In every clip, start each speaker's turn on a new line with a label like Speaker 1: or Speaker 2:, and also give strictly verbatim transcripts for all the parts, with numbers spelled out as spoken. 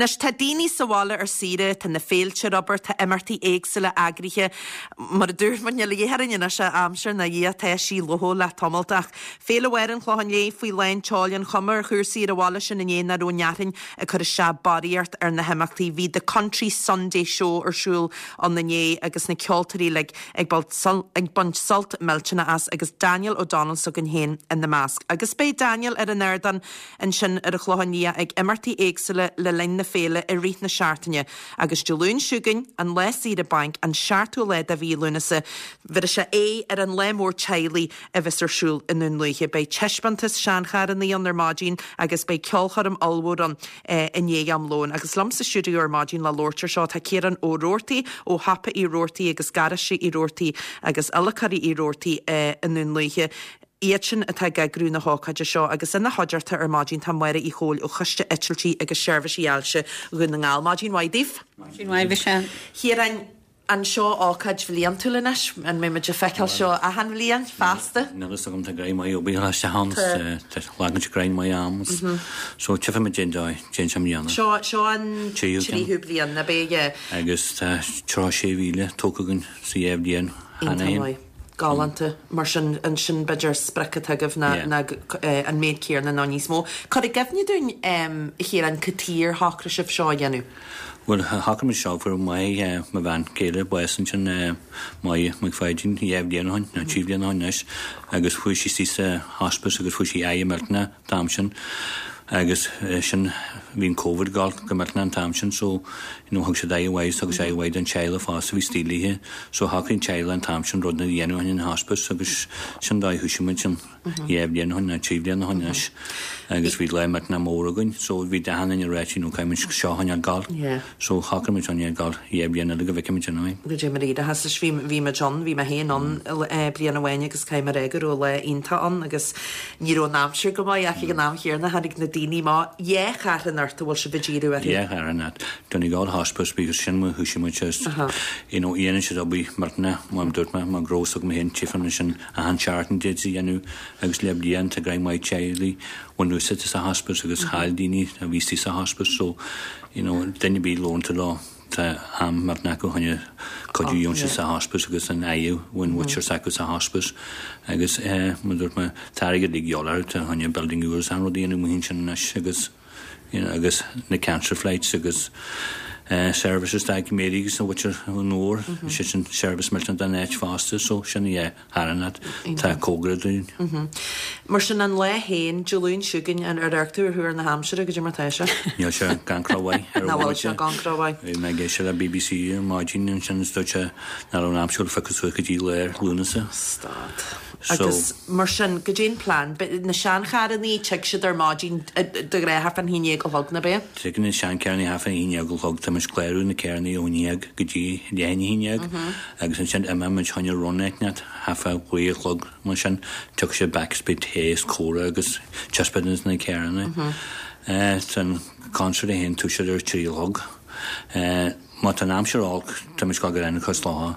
Speaker 1: Anois tá daoine sa bhaile ar saoire, tá na féilte ar obair, tá imeachtaí éagsúla eagraithe mar a dúirt muid níl a dhath orainn anois aimsir ná Dhia tá sí leo le tamalt ach Féile Bharr an Chlocháin Léith faoi lán tseoil an chuma ar chúrsaí ar an bhaile sin inné nach raibh an fhearthainn ag cur isteach barraíocht ar na himeachtaí. Bhí The Country Sunday Show ar siúl ann inné agus na ceoltóirí like, ag ag baint sult millteanach as agus Daniel O'Donnell s'againn féin ina measc. Agus beidh Daniel ar an ardán ansin ar an Chlochán Liath ag imeachtaí éagsúla le linn na féile i rith na seachtaine. Agus Dé Luain seo chugainn an lá saoire bainc an seachtú lá de mhí Lúnasa, bheir sé é ar an lá mór teaghlaigh a bheas ar siúl i nDún Lúiche. Beidh taispeántas seancharranna ann ar maidin agus beidh ceolchoirm ollmhór ann eh, i ndiaidh am lóin. Agus liom sa stiúideo ar maidin le labhairt ar seo tá Ciarán Ó Roarty ó Shiopa Uí Roarty agus Garáiste Uí Roarty agus Uilceoirí Uí Roarty eh, i nDún Lúiche. Iad sin atá ag eagrú na hócáide seo agus ina chuideachta ar maidin tá Máire Uí Chomhaill ó Choiste Eitiltí agus Seirbhísí Ailse Dhún na nGall. Maidin mhaith daoibh.
Speaker 2: Maidin mhaith Michelle.
Speaker 1: Chiaráin an seo ócáid bhliantúil anois an mbeidh muid ag feiceáil seo achan bhliain feasta.
Speaker 3: Níl a fhios agam tá greim maith obair se han lagan greim maith am so tifa me déan déan sem dhéanamh.
Speaker 1: Seo seo an
Speaker 3: Tríú
Speaker 1: tríú bliain na bé
Speaker 3: Agus tá trí sé mhíle tógtha againn sa dhá bhliain
Speaker 1: Iontach maith. Galánta mar sin an sin b'fhéidir sprioc atá agaibh ná
Speaker 3: Yeah.
Speaker 1: ná eh, an méid céanna nó níos mó. Cur i gcuimhne dúinn Chiaráin cad chuige ar shocraigh sibh seo a dhéanamh.
Speaker 3: Well shocraigh muid seo fuair maith mo bhean chéile bás ansin Máire McFadden dhá bhliain ó shin nó trí bliana ó shin anois agus fuair sí sí sa hospice agus fuair sí aighe millteanach an t-am sin agus eh, sin bhí an COVID gal go millteanach an t-am sin so you know, thug siad aire mhaith agus aire mhaith don teaghlach fosta bhí stílíthe so shocraigh an teaghlach an t-am sin rud na dhéanamh in hospice agus sin dá thosaigh sin dhá bhliain ó shin nó trí bliana ó shin anois agus bhí lá millteanach mór againn so bhí dahan in réit nó caiimid seo an gal
Speaker 1: Yeah.
Speaker 3: so shocraigh muid an gal dhá bhliain eile go bhfeicfimid an
Speaker 1: Go dé mar iad has bhí bhí muid ann bhí mé féin ann eh, bliain amháin agus cai mar go raibh lá iontach ann agus ní raibh an aimsir go maith ach ag an am chéanna tháinig na daoine má dhé charran ort a bhfuil sibh ag díriú orthu.
Speaker 3: Yeah, ar an Donegal Hospice because sin mu thosaigh muid just you know dhéanann siad obair millteanach mar dúirt mé mar grós agam féin tífan sin a han seachtain dé dhéanamh agus le blian tá greim maith teaghlaigh bhain úsáid sa hospice agus chaill daoine a bhí sa hospice so you know duine bí lónta lá tá am millteanach acu chun cuidiú sé sa hospice agus an aú bhain bhuiir acu sa hospice agus eh, mar dúirt mé tá ag jolar tá chun building úr an rud dhéanamh mu sin anois agus you know, agus na cancer flights agus uh, services da méí agus na bhfuir an nóir sé sin service millteanach den áit fosta so sin é Harnat tá cógra dún.
Speaker 1: Mar sin an lá féin Dé Luain seo chugainn an ar tú ar thuair na haimsire go dtí mar tá sé.
Speaker 3: Níl sé gan crawhaid
Speaker 1: Ná bhfuil sé gan crawhaid.
Speaker 3: Bhí mé ag éisteacht le BBC ar maidin ansin dúirt sé nach raibh an aimsir feice go dtí léir Lúnasa.
Speaker 1: Stad.
Speaker 3: So-
Speaker 1: Agus mar sin go dtéon plan, na seancharranna tig siad ar maidin de ghnáth half an haon déag a chlog na bé?
Speaker 3: Tugann na seancharranna half an haon déag a chlog tá muid clárú na carranna ó dhéag go dtí leath i ndiaidh agus ansin imeoidh muid chun run net half a naoi a chlog mar sin tug sé back speed théis córa agus taispeántas na carranna. San concert a haon tú sé ar trí chlog. Má tá an aimsir olc tá muid go an chos látha.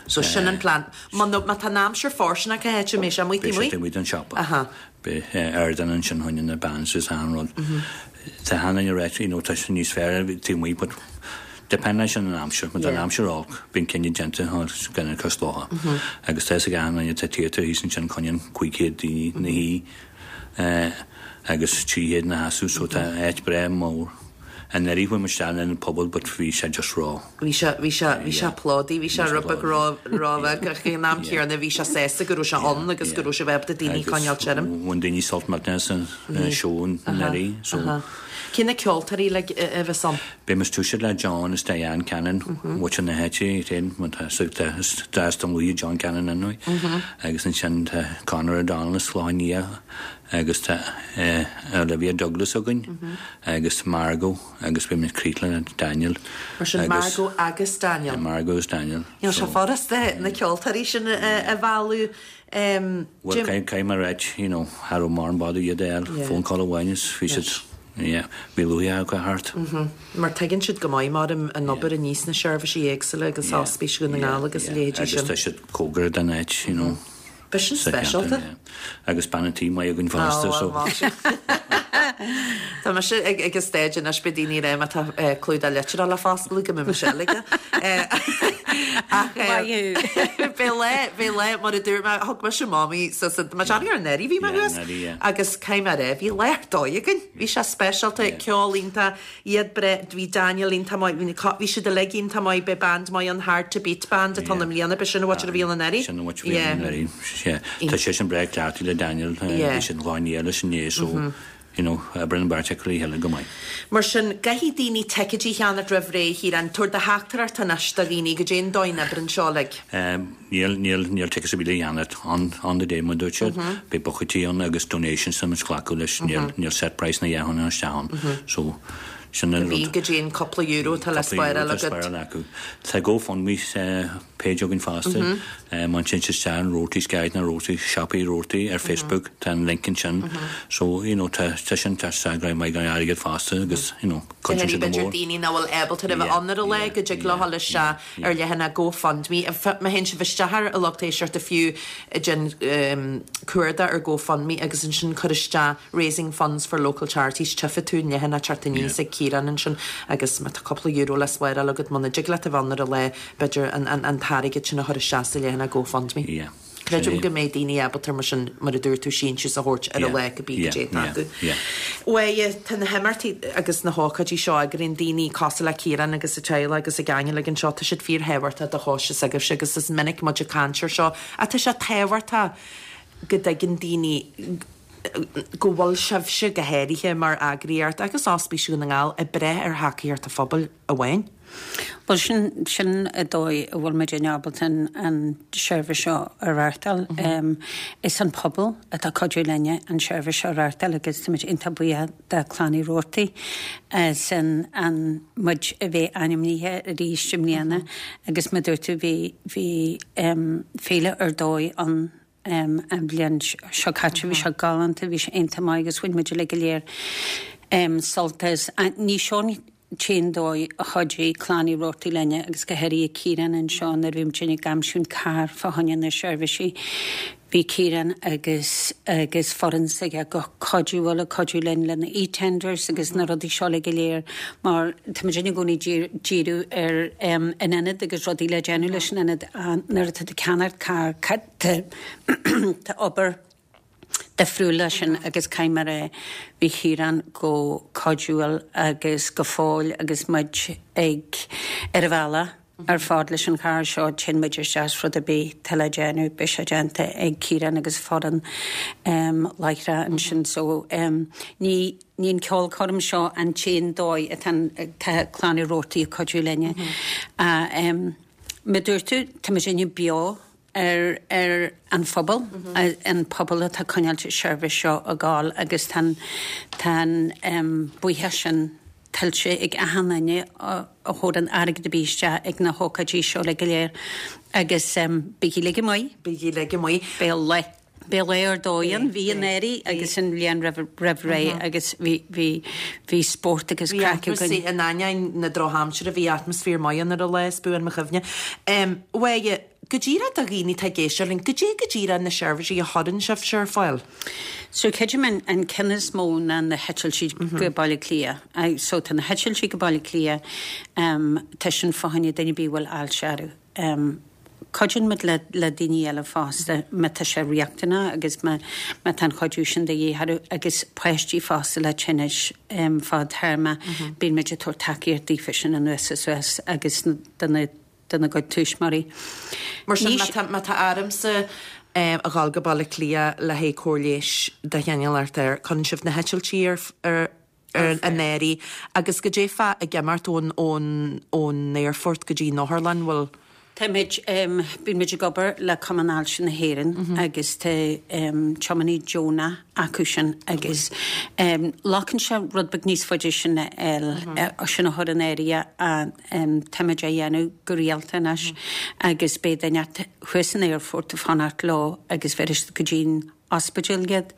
Speaker 1: So sin an plan. Má má tá an aimsir fóirsteanach a héit mé sé mu
Speaker 3: Bé sé muid an siopa.
Speaker 1: Aha.
Speaker 3: Be ardan ansin chun na bands is an rud. Tá hana reit you know, tá sé níos fearr tú mu, but depend leis an aimsir, mar an
Speaker 1: Yeah.
Speaker 3: aimsir olc bíonn cinenne déanta gan cos látha. Agus tá gan an tá tíirtar hí sin chun cúig chéad daoine na hí agus trí chéad na seasamh so tá áit breá mór. An nerí bhfuil tean an pobal, but bhí sé just rá.
Speaker 1: Bhí sé bhí sé bhí sé plódaithe, bhí sé
Speaker 3: Bhí sé
Speaker 1: rud rá rá an am céanna bhí sé sásta go raibh sé ann agus go raibh sé bheith daoine coinneáil tirim.
Speaker 3: Bhain daoine sult millteanach san seó nerí so
Speaker 1: Cé na ceoltóirí le a bheas ann?
Speaker 3: Beidh muid tosaithe le John is Diane Cannon mm na heite féin tá an luí John Cannon anúi agus ansin tá Conor O'Donnell is Slánia agus tá Olivia Douglas againn agus Margot agus beidh muid críochnú Daniel.
Speaker 1: Mar sin Margot agus Daniel.
Speaker 3: Margot is Daniel.
Speaker 1: Níl sé furasta na ceoltóirí sin a mhealladh.
Speaker 3: Well cai mar reit you know har mar bad iad
Speaker 1: Yeah.
Speaker 3: phone call amháin is bhí siad yeah bhí luí go hart.
Speaker 1: Mar tuigeann siad go maith mar an obair a níos na seirbhísí éagsúla agus ospís Dhún na nGall agus leithéidí
Speaker 3: agus
Speaker 1: sin.
Speaker 3: tá siad cóngarach don áit you know.
Speaker 1: B'shin
Speaker 3: sa
Speaker 1: speisialta.
Speaker 3: cheantar, yeah. Agus bean an tí maith againn fosta so.
Speaker 1: Tá mise ag ag stage anois beidh daoine ré má tá eh, clúdach litreach le foscladh go mbeidh mise eile. Eh, Ach eh, Bhí le bhí le mar a dúirt mé thug mise mamaí sa sa má ar anuraidh bhí mé
Speaker 3: Yeah,
Speaker 1: thuas
Speaker 3: anuraidh, yeah.
Speaker 1: agus cai mar é bhí lá ar dóigh againn. Bhí sé speisialta ceol iontach iad bre bhí Daniel iontach maith bhí na- bhí siad uilig iontach maith be band maith an Hard to Beat band atá na mbliana be sin a bhí an anuraidh.
Speaker 3: Sin what bhí an anuraidh. Tá sé sin breá cleachtaithe le Daniel
Speaker 1: Yeah.
Speaker 3: bhí sin láine leis an né so you know brenn bart le heile go maith.
Speaker 1: Mar sin caithfidh daoine ticéidí a cheannach roimh ré Chiarán tabhair do theachtaireacht anois do dhaoine goidé an dóigh a n-oibríonn seo like.
Speaker 3: Um, Níl níl níl tickets a bhí cheannach on on the day mar dúirt siad Beidh bucaí ann agus donations am glacadh leis níl níl set price na dhean an tean so sin an
Speaker 1: Bhí
Speaker 3: rud.
Speaker 1: goidé an cúpla euro tá le spáráil agat.
Speaker 3: Tá GoFundMe page againn fosta man sin se Roarty's Guide na Roarty Siopaí Roarty ar Facebook tá an link ansin so you know tá tá sin tá sa mai gan airgead fosta agus you know cuidíonn sé go
Speaker 1: B'fhéidir
Speaker 3: mór.
Speaker 1: daoine nach bhfuil ábalta a bheith ann ar an lá go dtig leo le se ar leathanach GoFundMe. Má théann sibh isteach ar a lucht éisteachta fiú den cuardach ar GoFundMe agus ansin cur isteach raising funds for local charities tchífidh tú an leathanach teacht aníos ag Ciarán ansin agus má tá cúpla euro le spáráil agat muna dtig leat a bheith ann ar an lá b'fhéidir an an an t-airgead sin a chur isteach sa leathanach GoFundMe.
Speaker 3: Yeah.
Speaker 1: Creidim go mbeidh daoine ábalta mar sin mar a dúirt tú síntiús a thabhairt ar an lá go bí
Speaker 3: Yeah,
Speaker 1: go
Speaker 3: yeah, yeah.
Speaker 1: Ué tá na himeachtaí agus na hócáidí seo ag an daoine cosúil le Ciarán agus a teaghlach agus a Daniel ag an seo tá siad fíorthábhachtach do choiste agaibhse agus is minic muid ag caint air seo a tá sé tábhachtach go dtuigeann daoine go bhfuil sibhse go háirithe mar eagraíocht agus Ospís Dhún na nGall ag brath ar thacaíocht an phobail amháin.
Speaker 2: Well sin sin an dóigh a bhfuil muid ábalta an, an seirbhís seo a reáchtáil. Mm -hmm. um, is an pobal atá cuidiú linne an seirbhís seo a reáchtáil agus táimid iontach buíoch de Chlann Uí Roarty sin an muid a bheith ainmnithe arís i mbliana mm -hmm. agus mar dúirt tú bhí bhí um, féile ar dóigh an um, an bhliain seo caite bhí sé galánta bhí sé iontach maith agus bhain muid le go léir um, sult as ní seo an dóigh a chuidigh Clann Uí Roarty linne agus go háirithe Ciarán anseo nuair a bhí muid ag aimsiú carr fá choinne na seirbhísí. Bhí Ciarán agus agus foireann s'aige go cuidiúil a cuidiú linn lena e-tenders agus na rudaí seo le go léir mar tá i gcónaí díriú ar um, an ionad agus rudaí le déanamh leis an ionad nuair atá ceannach carr tá obair difriúil sin agus caiimar é bhí Ciarán go cuidiúil agus go fóill agus muid ag ar a bhealach ar fad leis an charr seo sin muid isteach rud a bhí te le déanamh bhí sé déanta ag Ciarán agus foireann um, láithre ansin so um, ní ní an ceolchoirm seo an t-aon dóigh atá tá Clann Uí Roarty ag cuidiú linne. Mm -hmm. uh, um, Me dúirtú tá sinne beo ar ar an phobal mm -hmm. an pobal atá coinneáil seirbhís seo ag gabháil agus tá tá um, buíochas sin tuillte ag achan duine a chuir an airgead isteach ag na hócáidí seo le go léir agus um, bígí le go maith
Speaker 1: Bígí le go maith.
Speaker 2: Bé le Bé le ar dóigh bhí anuraidh agus an bhliain roimh ré agus bhí bhí bhí spórt agus craic
Speaker 1: Bhí in ainneoin na drochaimsire bhí atmaisféar maith ar a lá buan mo chuimhne. Um, Ué, go díreach do dhaoine atá ag éisteacht linn, goidé go díreach na seirbhísí a chuireann sibh ar fáil.
Speaker 2: So creidim an, an ceann is mó ná na heitiltí go Baile Cliath. So tá na heitiltí go Baile Cliath um, tá sin fá choinne duine a bhfuil ailse orthu. Um, Cuidíonn muid le, le daoine eile fosta má tá sé riachtanach agus má má tá an chuidiú sin de dhíth agus páistí fosta le tinnis um, fadtéarma mm -hmm. bíonn muid ag tabhairt tacaíocht daofa sin anuas suas agus do na do na gcuid tuismitheoirí.
Speaker 1: Mar sin má tá ormsa um, a ghabháil go Baile Cliath le haghaidh cóir leighis de chineál ar cuireann sibh na heitiltí ar ar ar an éirí agus goidé fá ag imeacht ón ón ón aerfort go dtí an otharlann bhfuil
Speaker 2: Tá muid um, bíonn muid ag obair le Cumann Ailse na hÉireann mm -hmm. agus tá um, tiománaí deonach acu sin agus um, glacann sé rud beag níos faide sin el mm -hmm. sin a chur in áirithe a um, táimid á dhéanamh go rialta anois mm -hmm. agus beidh duine thuas san aerfort ag fanacht leo agus bheir go dtí'n ospidéal iad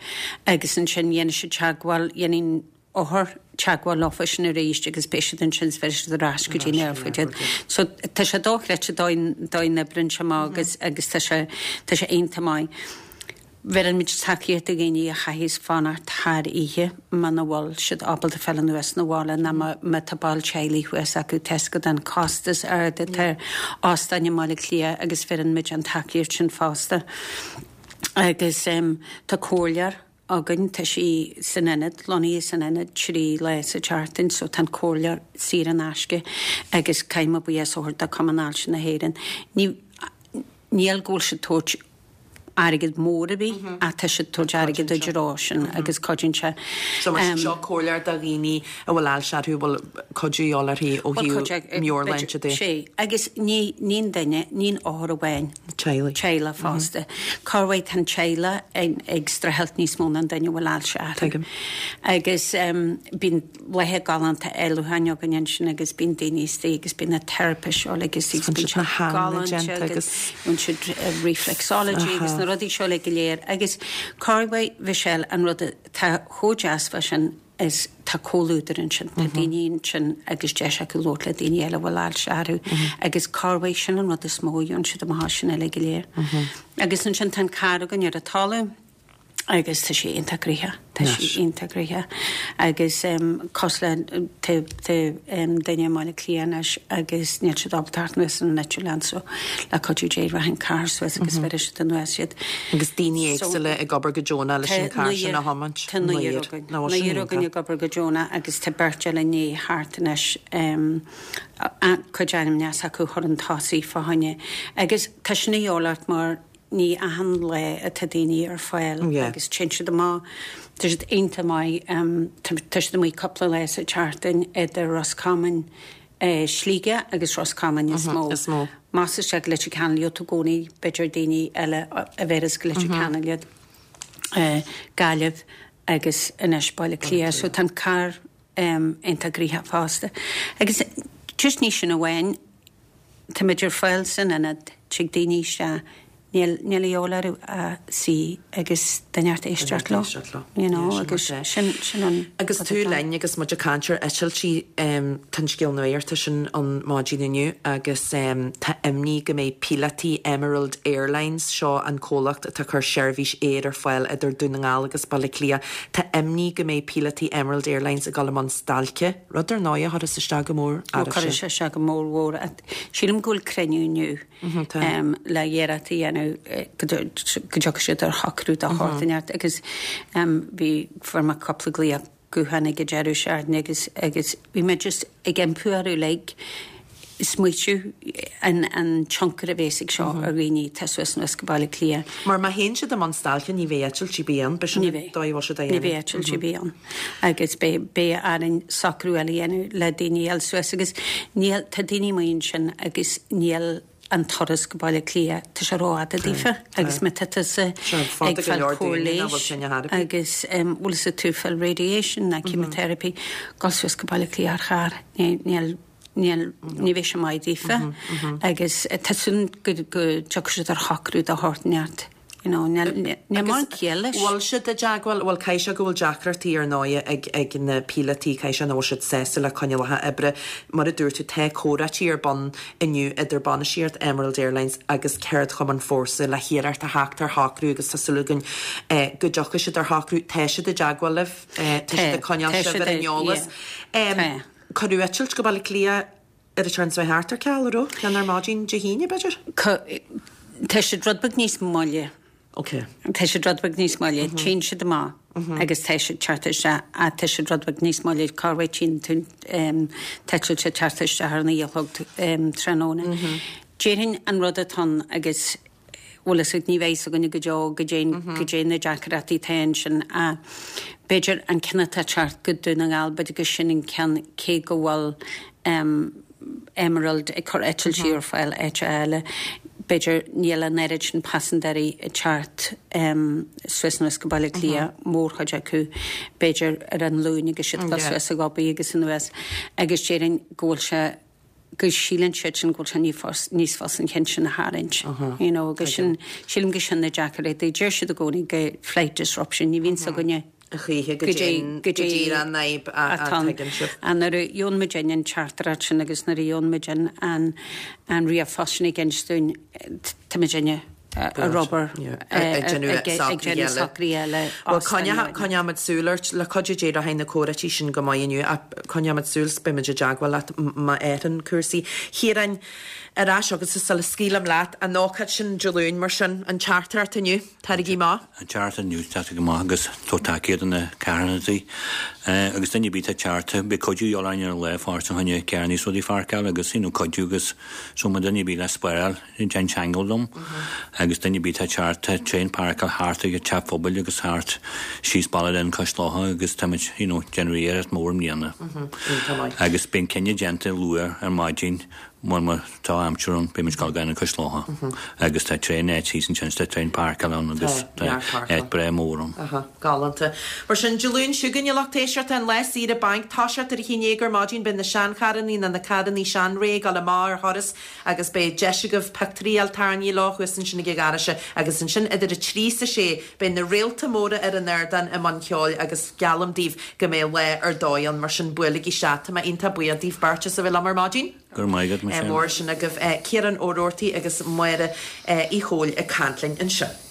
Speaker 2: agus ansin dhéanann siad teagmháil dhéanann othar teagmháil leofa sin arís agus beidh siad ansin bheir siad ar ais go dtí an aerfort iad. So tá sé dochreidte dóigh na brinse má agus agus tá sé tá sé iontach maith. Bheireann muid tacaíocht do dhaoine a chaithfidh fanacht thar oíche muna bhfuil siad ábalta fáil anuas na bhaile ná má tá ball teaghlaigh thuas acu tá a fhios agat an costas ard atá ar óstáin i mBaile Átha Cliath agus bheireann muid an tacaíocht sin fosta. Agus tá comhairleoir againn, tá sí san ionad, lonnaithe san ionad trí lá sa tseachtain so tá an comhairleoir saor in aisce agus caithfidh mé buíochas a thabhairt do Cumann Ailse na hÉireann. Ní níl go bhfuil siad tabhairt airgead mór ar bith ach tá siad tabhairt airgead i dtreo sin agus cuidíonn sé.
Speaker 1: So mar seo comhairleoir do dhaoine a bhfuil ailse orthu a bhfuil cuidiú de dhíobháil orthu ó thaobh meabhairshláinte de.
Speaker 2: Sé agus ní ní an duine ní an othar amháin.
Speaker 1: Teaghlaigh.
Speaker 2: Teaghlaigh fosta. Corruair tá an teaghlach ag streachailt níos mó ná an duine a bhfuil ailse orthu.
Speaker 1: Tuigim.
Speaker 2: Agus bíonn laethe galánta éalúcháin againn ansin agus bíonn daoine istigh agus bíonn na teiripeoirí seo agus bíonn
Speaker 1: siad na galánta déanta
Speaker 2: agus bíonn siad reflexology agus na rudaí seo le go léir agus corruair Michelle an rud atá chomh deas fá sin is tá comhluadar ansin tá daoine ansin agus deis acu labhairt le daoine eile a bhfuil ailse orthu agus corruair sin an rud is mó a gheobhann siad amach sin uile go léir. Agus ansin tá an carr againn ar an talamh agus tá sé iontach gnoitheach tá sé iontach gnoitheach agus cosúil le tá duine i mBaile Átha Cliath anois agus níl siad ábalta teacht anuas ar an eitleán so le cuidiú Dé rachaidh an carr suas agus bheirfidh siad anuas iad.
Speaker 1: Agus daoine éagsúla ag obair go deonach leis an carr sin a thiomáint.
Speaker 2: Tá naonúr againn. Naonúr againn ag obair go deonach agus tá beirt eile i ndiaidh theacht anois cuid ainmneacha s'acu chur chun tosaigh fá choinne agus tá sin a dhíobháil ort mar ní achan lá atá daoine ar fáil agus téann siad amach tá siad iontach maith tá siad amuigh cúpla lá sa tseachtain idir Ros Comáin Sligeach agus Ros Comáin is mó.
Speaker 1: Is mó.
Speaker 2: Más isteach go Leitir Ceanainn leo i gcónaí b'fhéidir daoine eile a bheireas go Leitir Ceanainn iad Gaillimh agus anois Baile Átha Cliath so tá an carr iontach gnoitheach fosta. Agus just ní sin amháin tá muid ar fáil san ionad tig daoine isteach níl níl a dhíobháil orthu ach suí agus duine inteacht éisteacht leo. You know, agus sin sin an
Speaker 1: Agus tú linn agus muid ag caint ar eitiltí tá an scéal nuachta sin an maidin inniu agus tá imní go mbeidh píolótaí Emerald Airlines seo an comhlacht atá ag cur seirbhís aeir ar fáil idir Dún na nGall agus Baile Átha Cliath. Tá imní go mbeidh píolótaí Emerald Airlines ag dul i mbun stailce, rud ar ndóigh a chuirfeas isteach go mór
Speaker 2: Ó chuirfeadh sé isteach go mór mhór. Sílim go bhfuil cruinniú inniu le iarracht a dhéanamh go dtiocfaidh siad ar shocrú de shórt inteacht agus bhí fuair mé cúpla glaoch gutháin ag an deireadh seachtaine agus agus bhí mé just ag iompú orthu like smaoitiú an an tionchar a bheas ag seo ar dhaoine atá suas anuas go Baile Átha Cliath.
Speaker 1: Mar má théann siad i mbun stailce ní bheidh eitiltí ar bith ann, b'shin
Speaker 2: Ní bheidh.
Speaker 1: dóigh a bhfuil siad á
Speaker 2: Ní bheidh eitilt ar bith ann. Agus beidh beidh orainn socrú eile a dhéanamh le daoine eile suas agus níl tá daoine amuigh ansin agus níl an turas go Baile Átha Cliath tá sé rófhada daofa agus má tá tusa
Speaker 1: ag
Speaker 2: fáil cóir leighis agus bhfuil sa tú fáil radiation ná chemotherapy dul suas go Baile Átha Cliath ar charr níl níl ní bheidh sé maith daofa agus tá súil go go dtiocfaidh siad ar shocrú de shórt inteacht. You know, níl níl mórán ciall leis.
Speaker 1: Bhfuil siad i dteagmháil, bhuel caithfidh sé go bhfuil deacrachtaí ar ndóigh ag ag na píolótaí, caithfidh sé nach bhfuil siad sásta le coinníollacha oibre. Mar a dúirt tú tá comhráití ar bun inniu idir bainistíocht Emerald Airlines agus ceardchumann Fórsa le hiarracht a theacht ar shocrú agus tá súil againn go dtiocfaidh siad ar shocrú. Tá siad i dteagmháil libh, tá siad ag coinneáil sibh ar an eolas. Cuireadh eitilt go Baile Átha Cliath ar an tseachtain seo thart ar ceal, an raibh? Ceann ar maidin Dé hAoine, b'fhéidir?
Speaker 2: Tá siad rud beag níos moille.
Speaker 1: Ok.
Speaker 2: Tá siad rud beag níos moille, téann siad amach agus tá siad teacht isteach ach tá siad rud beag níos moille corruair tchíonn tú t-eitilt ag teacht isteach ar a naoi a chlog tráthnóna. Déarfainn an rud atá ann agus bhfuil fhios agat ní bheidh fhios againne go deo go dté go dté na deacrachtaí atá ansin ach b'fhéidir an ceann atá ag teacht go Dún na nGall b'fhéidir go sin an ceann cé go bhfuil Emerald ag cur eitiltí ar fáil áit eile. B'fhéidir níl an oiread sin paisinéirí ag teacht suas anuas go Baile Átha Cliath mórchuid acu b'fhéidir ar an Luan agus siad ag suas ag obair agus anuas agus déarfainn go bhfuil sé go síleann siad sin go bhfuil sé níos níos fusa an ceann sin a tharraingt. You know, agus sin sílim go sin na deacrachtaí deir siad i gcónaí go flight disruption ní bhíonn againne
Speaker 1: A choíche go dtí go dtí an fhadhb a tuigeann sibh.
Speaker 2: An nuair a gheobhann muid an teachtaireacht sin agus nuair a gheobhann muid an an an ríomhphost sin ag insint dúinn tá muid inne ar obair ag déanamh socruithe eile.
Speaker 1: Bhuel, coinneoimid súil ort, le cuidiú Dé rachaidh na comhráití sin go maith inniu ach coinneoimid súil 's beimid i dteagmháil leat má athraíonn cúrsaí. Chiaráin, ar ais agatsa sula scaoilim leat, an ócáid sin Dé Luain mar sin, an teachtaireacht inniu, Taraigí amach.
Speaker 3: An teachtaireacht inniu, tá sé go maith agus tá tacaíocht do na carthanachtaí agus duine ar bith atá ag teacht, beidh cuidiú a dhíobháil orainn ar an lá fosta chun carranna is rudaí a pháirceáil agus you know cuidiú agus so má duine ar bith le spáráil, déan teagmháil liom agus duine ar bith atá ag teacht, tá tréan páirceáil thart ag an teach phobail agus thart síos Baile Linn cois locha agus táimid you know déanamh iarracht mór i mbliana. Agus beidh an cinneadh déanta luath ar maidin Má má tá aimsir ann, beidh muid ag gabháil go cois locha agus tá tréan áit thíos ansin, tá tréan páirceáil ann agus tá áit breá mór ann.
Speaker 1: Aha, galánta. Mar sin, Dé Luain seo chugainn, a lucht éisteachta, an lá saoire bainc, toiseacht ar a haon déag ar maidin, beidh na seancharrannaí nó na carrannaí seanré ag dul amach ar thuras agus beidh deis agaibh pictiúirí a fháil tarraingthe leo thuas ansin ag an gharáiste agus ansin idir a trí is a sé beidh na réalta móra ar an ardán i mbun ceoil agus geallaim daoibh go mbeidh lá ar dóigh ann, mar sin buailigí isteach. Tá mé iontach buíoch daoibh beirt as a bheith liom ar maidin.
Speaker 3: Go raibh maith agat, Michelle.
Speaker 1: Mór sin agaibh. Ciarán Ó Roarty agus Máire Uí Chomhaill ag caint linn anseo.